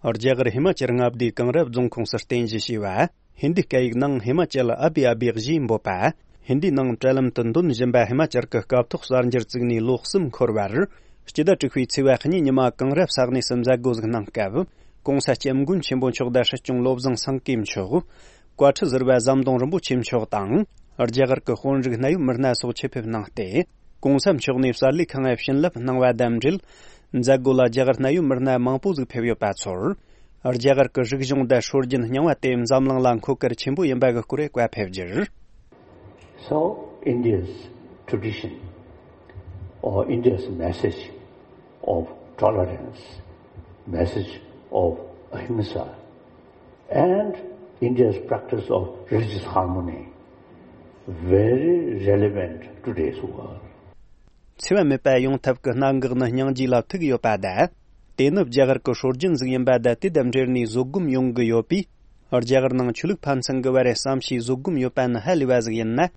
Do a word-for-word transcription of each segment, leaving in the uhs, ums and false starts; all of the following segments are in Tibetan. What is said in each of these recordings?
རྒྱ་གར་ཧི་མ་ཅལ་མངའ་སྡེའི་གངས་རི་རྫོང་ཁོངས་སུ་རྟེན་གཞི་བྱས་པ། ཧིན་དིའི་སྐད་ཡིག་ནང་ཧི་མ་ཅལ་ཨ་བི་ཨ་བི་ཞེས་འབོད་པ། ཧིན་དིའི་ནང་དྲ་ལམ་དུ་འདོན་བཞིན་པ་ཧི་མ་ཅལ་གྱི་སྐབས་ཐོག་གསར་འགྱུར་བཙུགས་ནས་ལོ་གསུམ་འཁོར་བར། སྤྱི་ཟླ་དྲུག་པའི་ཚེས་པ་གཉིས་ཉི་མ་གངས་རི་ས་གནས་སུ་མཛད་སྒོ་ཟིག་གནང་སྐབས། གོང་ས་སྐྱབས་མགོན་ཆེན་པོ་མཆོག་དང་སྲིད་སྐྱོང་བློ་བཟང་སེང་གེ་མཆོག་བཀའ་ཁྲི་ཟུར་པ་ཟམ་གདོང་རིན་པོ་ཆེ་མཆོག་དང་། རྒྱ་གར་གྱི་དཔོན་རིགས་གནད་ཡོད་མི་སྣ་སོགས་ཆེད་ཕེབས་གནང་སྟེ། གོང་ས་མཆོག་ནས་གསར་ལས་ཁང་ལ་བྱིན་རླབས་གནང་བ་དང་འབྲེལ། མཛད་སྒོ་ལ་རྒྱ་གར་གནད་ཡོད་མི་སྣ་མང་པོ་ཟིག་ཕེབས་ཡོད་པ་ཚོར། རྒྱ་གར་གྱི་རིག་གཞུང་དང་སྲོལ་རྒྱུན་རྙིང་བ་དེ་འཛམ་གླིང་ལ་མཁོ་གལ་ཆེན་པོ་ཡིན་པ་གི་སྐོར་བཀའ་ཕེབས་རྒྱུར། So, India's tradition, or India's message of tolerance, message of ahimsa, and India's practice of religious harmony, very relevant to today's world. འཚེ་བ་མེད་པ་ཡོང་ཐབས་ཀྱི་གནད་འགག་ནི་སྙིང་རྗེ་ལ་ཐུག་ཡོད་པ་དང་། དེ་ནི་རྒྱ་གར་གྱི་སྲོལ་རྒྱུན་ཟིག་ཡིན་པ་དང་། དེ་དང་འབྲེལ་ནས་བཟོད་སྒོམ་ཡོང་གི་ཡོད་པས། རྒྱ་གར་ནང་ཆོས་ལུགས་ཕན་ཚུན་གྱི་བར་བསམ་ཤེས་བཟོད་སྒོམ་ཡོད་པ་ནི་ཧ་ལས་པ་ཟིག་ཡིན་ན།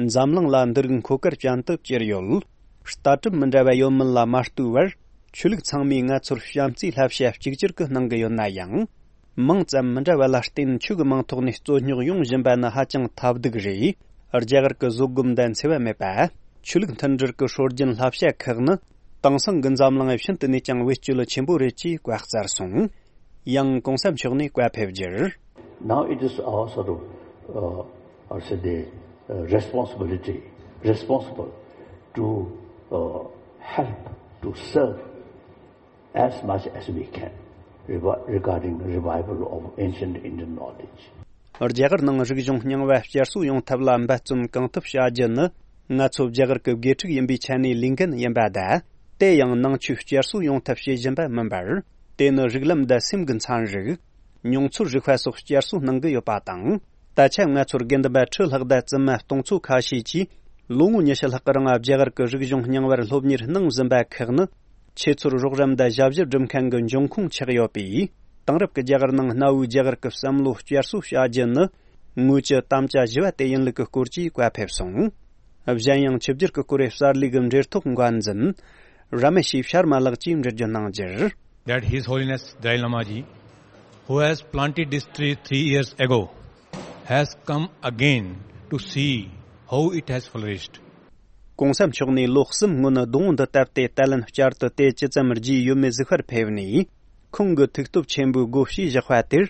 འཛམ་གླིང་ལ་འདི་རིགས་མཁོ་གལ་ཅན་དུ་གྱུར་ཡོད། ལྟ་གྲུབ་མི་འདྲ་བ་ཡོད་མིན་ལ་མ་ལྟོས་པར། ཆོས་ལུགས་ཚང་མས་ང་ཚོར་བྱམས་བརྩེའི་བསླབ་བྱ་གཅིག་གྱུར་གྱི་གནང་གི་ཡོད་ན་ཡང་། མིང་ཙམ་མི་འདྲ་བ་ལ་བརྟེན་ཆོས་ཀྱི་མིང་ཐོག་ནས་རྩོད་རྙོག་ཡོང་བཞིན་པ་ནི་ཧ་ཅང་ཐབས་སྡུག་རེད། རྒྱ་གར་གྱི་བཟོད་སྒོམ་དང་འཚེ་བ་མེད་པ། ཆོས་ལུགས་མཐུན་སྒྲིལ་གྱི་སྲོལ་རྒྱུན་བསླབ་བྱ་ཁག་ནི། དེང་སང་གི་འཛམ་གླིང་ཤིན་ཏུ་ནས་ཀྱང་བེད་སྤྱོད་ཆེན་པོ་རེད་ཅེས་བཀའ་སྩལ་སོང་། ཡང་གོང་ས་མཆོག་ནས་བཀའ་ཕེབས་རྒྱུར། Now it is our sort of, uh, I should say, the, uh, responsibility, responsible to, uh, help, to serve as much as we can revi- regarding revival of ancient Indian knowledge. རྒྱ་གར་ནང་རིག་གཞུང་རྙིང་བ་བསྐྱར་གསོ་ཡོང་ཐབས་ལ་འབད་བརྩོན་གང་ཐུབ་བྱ་རྒྱུ་ནི། ང་ཚོ་རྒྱ་གར་གྱི་དགེ་ཕྲུག་ཡིན་པའི་ཆ་ནས་ལས་འགན་ཡིན་པ་དང་། དེ་ཡང་ནང་ཆོས་བསྐྱར་གསོ་ཡོང་ཐབས་བྱེད་བཞིན་པ་མིན་པར། དེ་ནི་རིགས་ལམ་དང་སེམས་ཀྱི་ཚན་རིག་མྱོང་ཚོར་རིག་པ་སོགས་བསྐྱར་གསོ་གནང་གི་ཡོད་པ་དང་། ད་ཆ་ང་ཚོར་དགེ་འདུན་པ་ཁྲི་ལྷག་དང་བཙུན་མ་སྟོང་ཚོ་ཁ་ཤས་ཀྱིས་ལོ་ངོ་ཉི་ཤུ་ལྷག་གི་རིང་རྒྱ་གར་གྱི་རིག་གཞུང་རྙིང་བར་སློབ་གཉེར་གནང་བཞིན་པ་ཁག་ནི། ཁྱེད་ཚོར་རོགས་རམ་དང་ཞབས་ཞུ་སྒྲུབ་མཁན་གྱི་འབྱུང་ཁུངས་ཆགས་ཡོད་པས། དེང་རབས་ཀྱི་རྒྱ་གར་ནང་གནའ་བོའི་རྒྱ་གར་གྱི་བསམ་བློ་བསྐྱར་གསོ་བྱ་རྒྱུ་ནི། ངོས་ཀྱི་དམ་བཅའ་བཞི་བ་དེ་ཡིན་ལུགས་ཀྱི་སྐོར་གྱིས་བཀའ་ཕེབས་སོང་། གཞན་ཡང་ཆིབས་བསྒྱུར་གྱི་སྐོར་བའི་གསར་ལས་ཀྱི་འབྲེལ་ཐོག་འགན་འཛིན། ར་མེ་ཤི་ཤར་མ་ལགས་ཀྱིས་འགྲེལ་བརྗོད་གནང་རྒྱུར། That His Holiness Dalai Lama ji, who has planted this tree three years ago, has come again to see how it has flourished. གོང་ས་མཆོག་ནས་ལོ་གསུམ་སྔོན་སྡོང་བོ་འདི་བཏབ་སྟེ། ད་ལན་བསྐྱར་དུ་དེ་ཇི་ཙམ་རྒྱས་ཡོད་མེད་གཟིགས་པར་ཕེབས་ནས། ཁོང་གི་ཐུགས་སྟོབས་ཆེན་པོའི་སྒོ་ཕྱེས་བཞག་པ་དེར།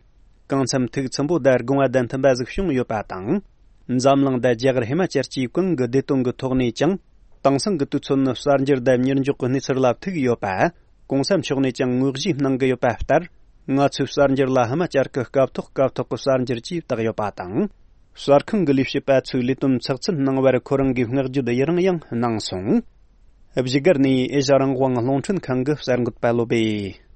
གང་འཚམ་ཐུགས་ཚིམ་པོ་དང་དགོངས་པ་དང་མཐུན་པ་ཟིག་བྱུང་ཡོད་པ་དང་། འཛམ་གླིང་དང་རྒྱ་གར་ཧི་མ་ཅལ་གྱིས་གང་གི་བདེ་དོན་གྱི་ཐོག་ནས་ཀྱང་། དེང་སང་གི་དུས་ཚོད་ནི་གསར་འགྱུར་དང་མྱུར་མགྱོགས་ཀྱི་གནས་ཚུལ་ལ་ཐུག་ཡོད་པ། གོང་ས་མཆོག་ནས་ཀྱང་དངོས་གཞི་གནང་གི་ཡོད་པ་ལྟར། ང་ཚོས་གསར་འགྱུར་ལ་ཧི་མ་ཅལ་གྱི་སྐབས་ཐོག་སྐབས་ཐོག་གི་གསར་འགྱུར་གྱིས་བཏགས་ཡོད་པ་དང་། གསར་ཁང་གི་ལས་བྱེད་པ་ཚོས་ལས་དོན་ཚགས་ཚུད་གནང་བར་ཁོ་རང་གིས་བསྔགས་བརྗོད་ཡི་རང་ཡང་གནང་སོང་། བཞུགས་སྒར་ནས་ཨེ་ཤ་རང་དབང་རླུང་འཕྲིན་ཁང་གི་གསར་འགོད་པ་བློ་བྷེ།